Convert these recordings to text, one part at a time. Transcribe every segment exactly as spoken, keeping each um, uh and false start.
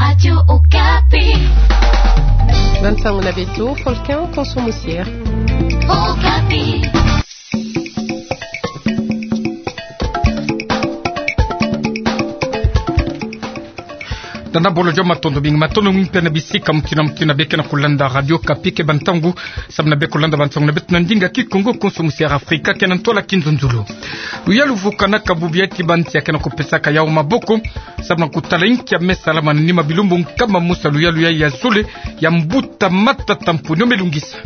Radio Okapi. Bansango na beto, Folkin Konso Musier. Okapi. Danda bolo jo matondo mingi, matondo mingi pia na bisika mutina mutina beke na kulanda Radio Okapi. Keba ntangu samu na beke kulanda bansango na beto na ndinga Kikongo, Konso Musier Afrika, kena ntwala kinzonzolo. Luyalu vukanaka bubu ya ti bansi ya kena kupesaka yau maboko samu na kutala inki ya me salama na nima bilumbu nkama mosi ya luyalu ya, ya zole ya mbuta matata mponi yo me lungisa.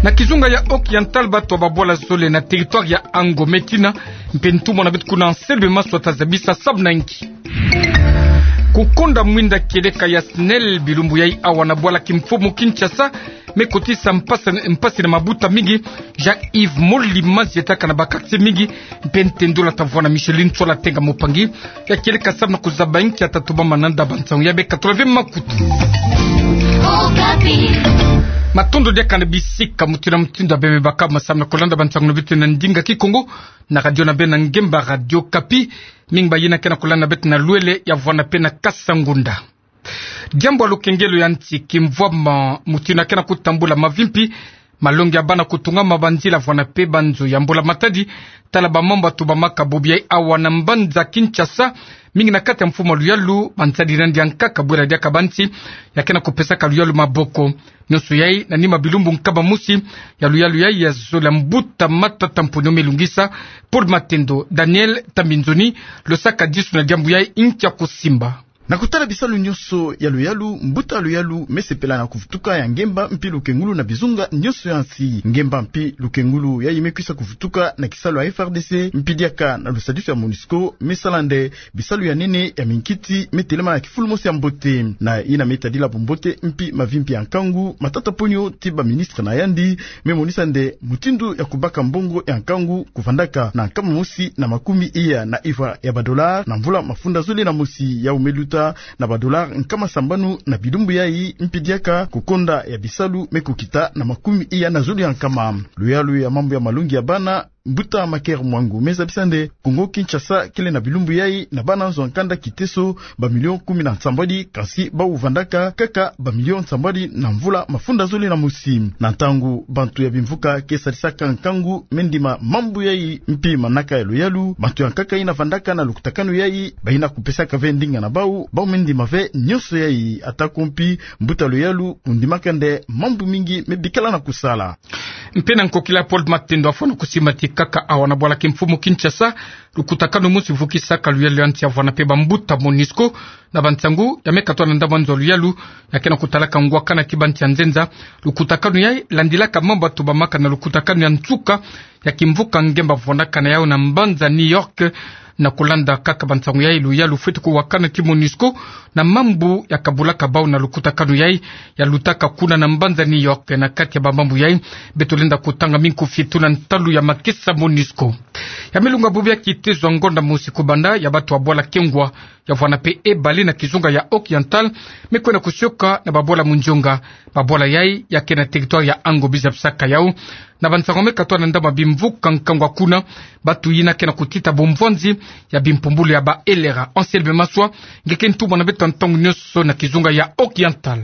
Na kizunga ya Occidental, bato ya babwala zole na territoire ya Ango me tina, mpe ntumwa na beto kuna Anselme Maswa ta zabisa samu na inki. Kukonda mwinda kieleka ya SNEL bilumbu yai awa na bwala kimfumu Kinshasa, me kotisa mpasi, mpasi na mabuta mingi. Jean-Yves Molima zietaka na ba quartier mingi, mpe ntendula ta vwa na Micheline Tsola Tenga, mopangi ya kieleka samu na kuzaba inki ya ta tubama nanda bansango ya beka tula ve makutu. Matondo diaka na bisika mutina mutina bebe baka masamu na kulanda bansango na beto na ndinga Kikongo na radio na beno ya ngemba Radio Okapi. Mingi bayina kena kulanda beto na Luele, ya vwa na pe na Kasangunda. Diambu ya lukengelo ya nsi kimvwama mutina kena kutambula mavimpi, malongi ya bana kutungama, banzila vwa na pe banzo ya mbula matadi. Tala bamambu ya tubamaka bubu yai awa na mbanza Kinshasa, mingi na kati ya mfumu ya luyalu, bansadi nandi ya nkaka bwela diaka bansi ya kena kupesaka luyalu maboko. Nyonso yai na nima bilumbu nkama mosi ya luyalu yai ya zole ya mbuta matata mponi yo me lungisa. Paul Matendo, Daniel Tambinzoni, losaka disu na diambu yai, inki ya kusimba. Na kutala bisalu nyonso ya luyalu, mbuta luyalu me sepela na kuvutuka ya ngemba mpi lukengulu na bizunga nyonso ya nsi. Ngemba mpi lukengulu yai me kwisa kuvutuka na kisalu ya F R D C, mpi diaka na lusadisu ya MONUSCO, me sala nde bisalu ya nene ya minkiti me telema na kifulu mosi ya mbote. Na yina me tadila bumbote mpi mavimpi ya nkangu, Matata Ponyo ti baministre na yandi me monisa nde mutindu ya kubaka mbongo ya nkangu kuvandaka na nkama mosi na makumi iya na ivwa ya badolare na mvula mafunda zole na mosi. Yau me luta na badolare nkama sambanu na bilumbu yai, mpi diaka kukonda ya bisalu me kukita na makumi iya na zole ya nkama. Luyalu ya mambu ya malongi ya bana, mbuta Maker Mwangu me zabisa nde Kongo Kinshasa kele na bilumbu yai na bana nzo ya nkanda kiteso bamilio kumi na nsambwadi, kansi bau vandaka kaka bamilio nsambwadi na mvula mafunda zole na mosi. Na ntangu bantu ya bimvuka ke sadisaka nkangu me ndima mambu yai mpi manaka ya luyalu, bantu ya nkaka yina vandaka na lukutakanu yai bayina kupesaka ve ndinga na bau, bau me ndima ve nyonso yai. Atako mpi mbuta luyalu kundimaka nde mambu mingi me bikala na kusala. Mpe na nkokila, Paul Matendo afwana kusimba ti kaka awa na bwala kimfumu Kinshasa, lukutakanu mosi vukisaka luyalu ya nsi ya vwa na pe bambuta MONUSCO, na bansangu ya me katwa na ndambu ya nzo luyalu ya kena kutalaka ngwakana ti bansi ya nzenza. Lukutakanu yai landilaka mambu ya tubamaka na lukutakanu ya nsuka ya kimvuka ngemba vandaka na yau na mbanza New York. Na kulanda kaka bansangu yai, luyalu fweti kuwakana ti MONUSCO na mambu ya kabulaka bau na lukutakanu yai ya lutaka kuna na mbanza New York. Na kati ya bamambu yai, beto lenda kutanga mingi kufietula ntalu ya makesa MONUSCO. Ya me lunga bubu ya kiteso ngonda mosi kubanda ya bato ya bwala Kengwa ya vwa na pe Ebale na kizunga ya Occidental me kwenda kusioka na babwala Mundionga. Babwala yai ya ke na territoire ya Ango, biza bisaka yau na bansangu me katwa na ndambu ya bimvuka nkangu kuna. Bato yina ke na kutita bumvwanzi ya bimpumbulu ya ba L R A. Anselme Maswa, nge ke ntumwa na beto ntangu nyonso na kizunga ya Occidental.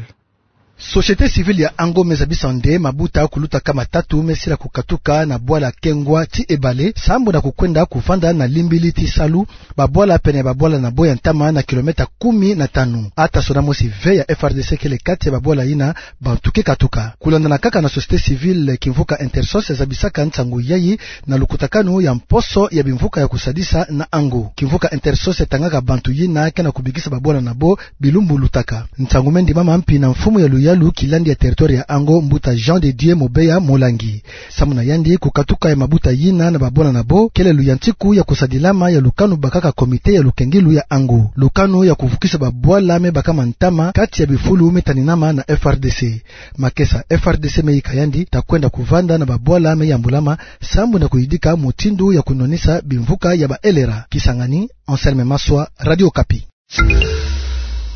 Société civile ya Ango me zabisa nde mabuta kuluta kama tatu me sila kukatuka na bwala Kengwa ti Ebale, sambu na kukwenda kuvanda na limbili ti salu, babwala pene ya babwala na bo ya ntama na kilomètre kumi na tanu. Ata sona mosi ve ya F R D C kele kati ya babwala yina bantu ke katuka. Kulandana kaka na société civile, kimvuka Intersos ya zabisaka nsangu yai na lukutakanu ya mposo ya bimvuka ya kusadisa na Ango. Kimvuka Intersos ya tangaka bantu yina ke na kubikisa babwala na bo bilumbu lutaka. Nsangu me ndimama mpi na mfumu ya luyalu kilandi ya territoire ya Ango, mbuta Jean de Dieu Mobeya Molangi. Samu na yandi, kukatuka ya mabuta yina na babwala na bo kele luyantiku ya kusadilama ya lukanu bakaka comité ya lukengilu ya Ango, lukanu ya kuvukisa babwala me bakama ntama kati ya bifulu me taninama na F R D C. Makesa F R D C me yika yandi ta kwenda kuvanda na babwala me yambulama sambu na kuyidika mutindu ya kunwanisa bimvuka ya ba L R A. Kisangani, Anselme Maswa, Radio Okapi.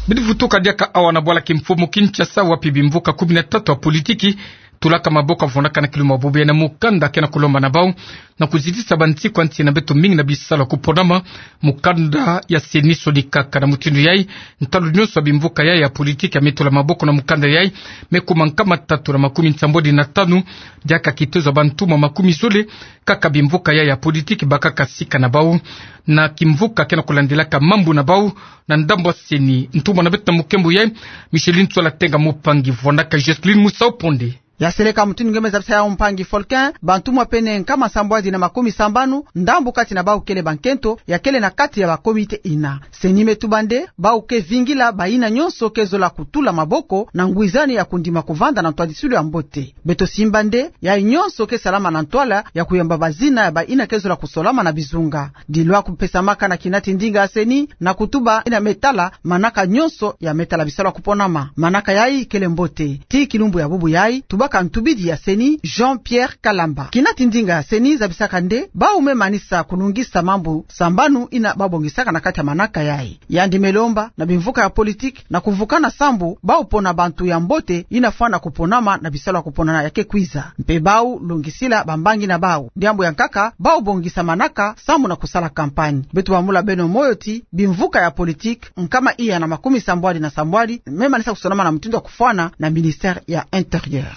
Bidi vutuka diaka awa na bwala kimfumu Kinshasa, wapi bimvuka kumi na tatu ya politiki tulaka maboko, vwandaka na kiluma bubu yayi na mukanda ke na kulomba na bau na kuzitisa bansiku ya nsi na beto mingi na bisalu ya kuponama. Mukanda ya CENI solikaka na mutindu yayi, ntalu nyonso ya bimvuka yayi ya politiki ya me tula maboko na mukanda yayi me kuma nkama tatu na makumi nsambwadi na tanu, diaka kitozo ya bantumwa makumi zole kaka bimvuka yayi ya politiki bakaka sika na bau na kimvuka ke na kulandilaka mambu na bau na ndambu ya CENI. Ntumwa na beto na mukembo yayi, Micheline Tswala Tenga Mupangi, vwandaka Jocelyne Musau Ponde. Ya seleka mutindu nge me zabisa yau, mpangi Folkin, bantumwa pene nkama nsambwadi na makumi sambanu, ndambu kati na bau kele bankento, ya kele na kati ya ba comité ina. CENI me tuba nde bau ke vingila bayina nyonso ke zola kutula maboko na ngwizani ya kundima kuvanda na ntwadisilu ya mbote. Beto simba nde yayi nyonso ke salama na ntwala ya kuyamba bazina ya bayina ke zola kusolama na bizunga. Dilwa kupesamaka na kinati ndinga ya CENI na kutuba yina me tala manaka nyonso ya me tala bisalu ya kuponama. Manaka yayi kele mbote. Tii kilumbu ya bubu yayi, tubaka ntubidi ya CENI, Jean-Pierre Kalamba. Kinati ndinga ya CENI zabisaka nde bau me manisa kunungisa mambu sambanu yina bau bongisaka na kati ya manaka yayi. Yandi me lomba na bimvuka ya politiki na kuvukana sambu bau pona bantu ya mbote yina fwana kuponama na bisalu ya kuponama ya ke kwiza. Mpe bau longisila bambangi na bau. Diambu ya nkaka, bau bongisa manaka sambu na kusala campagne. Beto bamula beno moyo ti bimvuka ya politiki nkama iya na makumi sambwadi na sambwadi me manisa kusonama na mutindu ya kufwana na ministère ya Intérieur.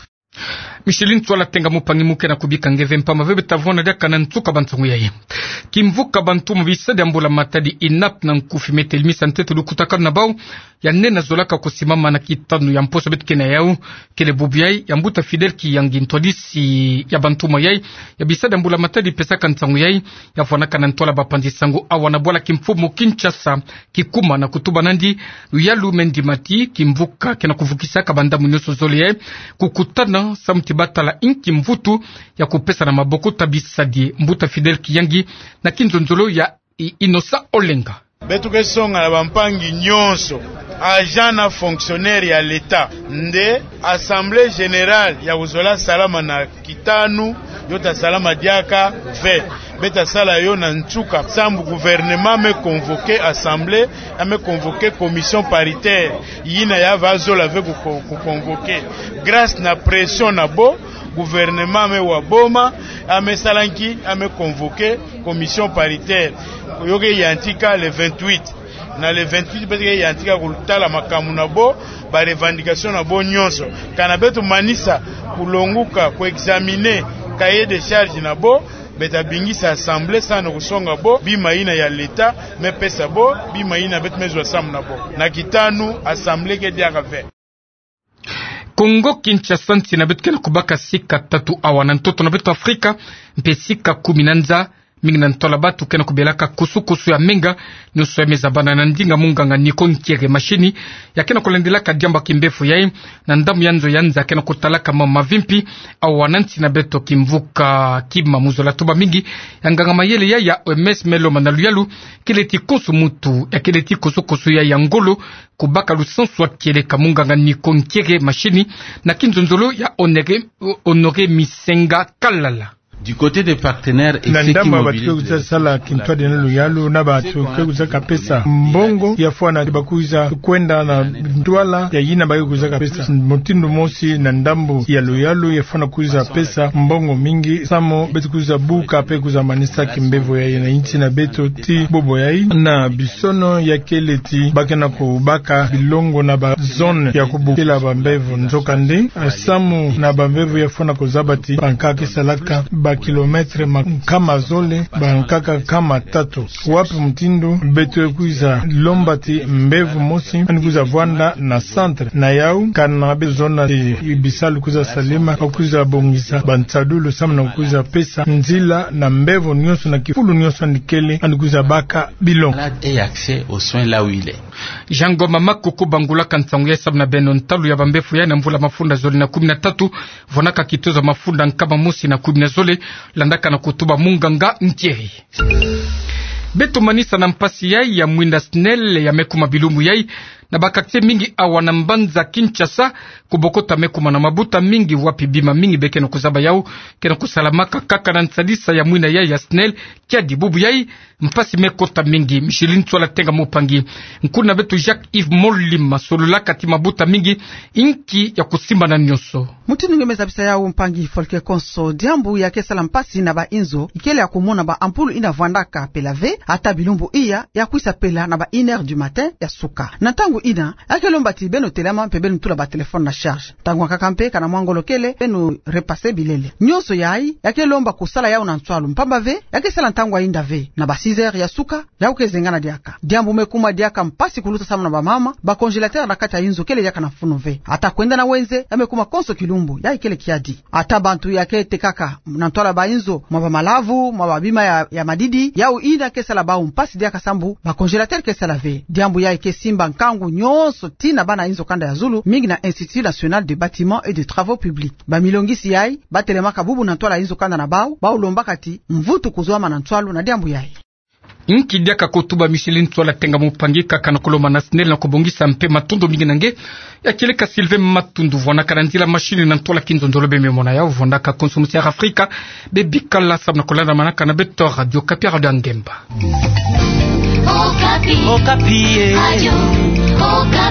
Micheline Tswala Tenga Mupangi, mu ke na kubika nge ve mpamba ve beta vwanda diaka na nsuka ba nsangu yayi. Kimvuka bantumwa bisadi ya mbula matadi, INAP, na nkufi me telimisa ntete lukutakanu na bau ya nene zolaka kusimama na kitanu ya mposo beto ke na yau. Kele bubu yayi ya mbuta Fidèle Kiyangi, ntwadisi ya bantumwa yayi ya bisadi ya mbula matadi, pesaka nsangu yayi, ya vwanaka na ntwala bapanzi sango awa na bwala kimfumu Kinshasa. Kikuma na kutuba nandi luyalu, me ndima ti kimvuka ke na kuvukisaka bandambu nyonso zole yayi kukutana samu ti batala inki mvutu ya kupesa na maboko ta bisadi. Mbuta Fidèle Kiyangi na kinzonzolo ya I-, Innocent Olenga. Beto ke songa na bampangi nyonso, agent na fonctionnaire ya l'État, nde Assemblée générale ya kuzola salama na kitanu, yo ta salama diaka ve. Beta sala yo na nsuka sambu gouvernement me convoquer assemblée, a me convoquer commission paritaire, yina ya va zola ve ku, ku convoquer. Grâce na pression na bo, gouvernement me wa boma, a me sala nki, a me convoquer commission paritaire. Yo ke yantika le vingt-huit. Na le vingt-huit beto ke yantika kutala makambu na bo, ba revendication na bo nyonso. Kana beto manisa kulonguka, ku examiner cahier de charge na bo, beta bingisa assemblée samu na kusonga bo bima yina ya l'État me pesa bo, bima yina beto me zwa samu na bo. Na kitanu, assemblée ke diaka ve. Kongo Kinshasa, nsi na beto ke na kubaka sika tatu awa na ntoto na beto Afrika, mpe sika kumi na nza. Mingi na ntwala batu ke na kubelaka kusu-kusu ya menga, nyonso ya me zabana na ndinga munganga Nico Nkiere. Mashini ya ke na kulandilaka diambu ya kimbevo yayi na ndambu ya nzo ya nza ke na kutalaka mambu mavimpi awa na nsi na beto. Kimvuka kima mu zola tuba mingi ya nganga mayele yayi ya O M S me lomba na luyalu kele ti konso muntu ya kele ti kusu-kusu yayi ya ngolo kubaka lusansu wa kieleka. Munganga Nico Nkiere, mashini na kinzonzolo ya Honoré, Honoré Misenga Kalala. Du côté des partenaires et ceux qui mobilisent. Na ndambu ya batu ke kwiza sala kintwadi na luyalu na batu ke kwizaka pesa mbongo ya fwana ti ba kwiza kwenda na ntwala ya yina ba ke kwizaka pesa. Mutindu mosi na ndambu ya luyalu ya fwana kwiza pesa mbongo mingi samu beto kwiza buka mpe kwiza manisa kimbevo yayi na insi na beto. Ti bobo yayi na bisono ya kele ti ba ke na kubaka bilongo na ba zone ya kubukila bambevo. Nzokande, samu na bambevo ya fwana kuzaba ti bankaka ke salaka ba kilomètre ma nkama zole, bankaka nkama tatu. Wapi mutindu beto kwiza lomba ti mbevo mosi yandi kwiza vwanda na centre na yau, kana beto zonza ti bisalu kwiza salama, kwiza bongisa bansadulu samu na kwiza pesa nzila na mbevo nyonso na kifulu nyonso yandi kele, yandi kwiza baka bilongo. Malade ait accès aux soins là où il est. Jean Ngoma Makoko bangulaka nsangu yayi samu na beno. Ntalu ya bambevo yayi na mvula mafunda zole na kumi na tatu, vwanaka kitozo ya mafunda nkama mosi na kumi na zole, landaka na kutuba munganga Nkiere. Beto manisa na mpasi yayi ya mwinda SNEL ya me kuma bilumbu yayi na ba quartier mingi awa na mbanza Kinshasa, kubokota me kuma na mabuta mingi wapi bima mingi be ke na kuzaba yau, ke na kusalamaka kaka na nsadisa ya mwina yai ya SNEL. Kiadi bubu yai, mpasi me kota mingi. Micheline Ntsoila Tenga Mopangui, nkuna beto Jacques Yves Molima, sololaka ti mabuta mingi, inki ya kusimbana nyonso. Mutindu nge me zabisa yau, mpangi Volker Konso, diambu ya ke sala mpasi na ba inzo, ikele ya kumona ba ampoule ina vwandaka pela ve, ata bilumbu iya, ya kwisa pela na ba une heure du matin ya suka. Na ntangu ina, ya ke lomba ti beno telama mpe beno tula ba téléphone na charge. Ntangu akaka mpe kana mwa ngolo kele, beno repasser bilele. Nyonso yai, ya ke lomba kusala yau na nswalu mpamba ve, ya ke sala ntangu ya inda ve. Na ba six heures ya suka, yau ke zengana diaka. Diambu me kuma diaka mpasi kuluta samu na ba mama, ba congélateur na kati ya inzo kele diaka na mfunu ve. Ata kwenda na wenze, ya me kuma konso kilumbu, yai kele kiadi. Ata bantu ya ke tekaka na ntwala ba inzo, mwa ba malavu, mwa ba bima ya, ya madidi, yau ina ke sala bau mpasi diaka sambu, ba congélateur ke sala ve. Diambu yai ke simba nkangu nyonso tii na bana inzo kanda ya zulu, mingi na Institut National des Bâtiments et des Travaux Publics. Ba milongisi yai, ba telemaka bubu na ntwala inzo kanda na bau, bau lombaka ti mvutu kuzwama na nswalu na diambu yai. Inki diaka ko tuba Micheline Ntsoila Tenga Mopangui, kaka na kulomba na SNEL na kubongisa mpe matondo mingi na nge. Ya kieleka Sylvain Matundu, vwanaka na nzila machine na ntwala kinzonzolo be me mona yau, vwandaka konso musiara Afrika, be bikala samu na kulandamanaka na beto Radio Okapi, radio ya ngemba. Okapi. Okapi, eh. Radio Okapi.